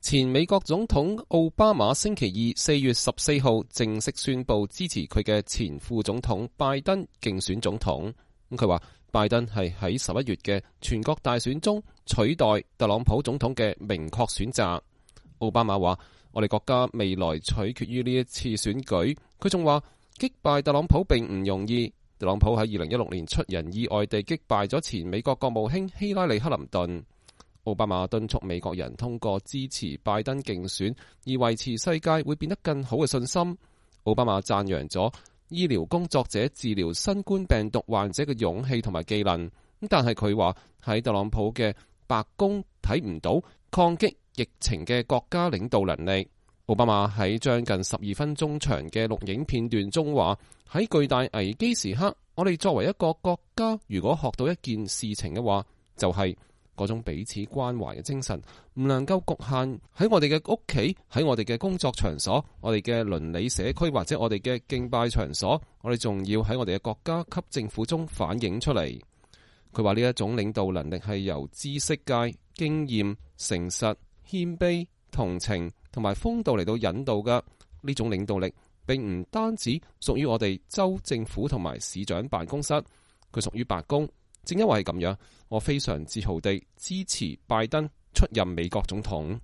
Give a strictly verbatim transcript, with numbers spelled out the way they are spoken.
前美國總統奧巴馬星期二四月十四號正式宣布支持佢嘅前副總統拜登競選總統。咁佢話拜登係喺十一月嘅全國大選中取代特朗普總統嘅明確選擇。奧巴馬話：我哋國家未來取決於呢一次選舉。佢仲話擊敗特朗普並唔容易。特朗普喺二零一六年出人意外地擊敗咗前美國國務卿希拉里克林頓。奧巴馬敦促美國人通過支持拜登競選而維持世界會變得更好嘅信心。奧巴馬讚揚咗醫療工作者治療新冠病毒患者嘅勇氣同埋技能，但係佢話喺特朗普嘅白宮睇唔到抗擊疫情嘅國家領導能力。奧巴馬喺將近十二分鐘長嘅錄影片段中話：喺巨大危機時刻，我哋作為一個國家，如果學到一件事情嘅話，就係、是。嗰種彼此關懷嘅精神唔能夠局限喺我哋嘅屋企，喺我哋嘅工作場所，我哋嘅鄰里社區或者我哋嘅敬拜場所，我哋仲要喺我哋嘅國家級政府中反映出嚟。佢話呢一種領導能力係由知識界、經驗、誠實、謙卑、同情同埋風度嚟到引導嘅。呢種領導力並唔單止屬於我哋州政府同埋市長辦公室，佢屬於白宮。正因為係咁樣，我非常自豪地支持拜登出任美國總統。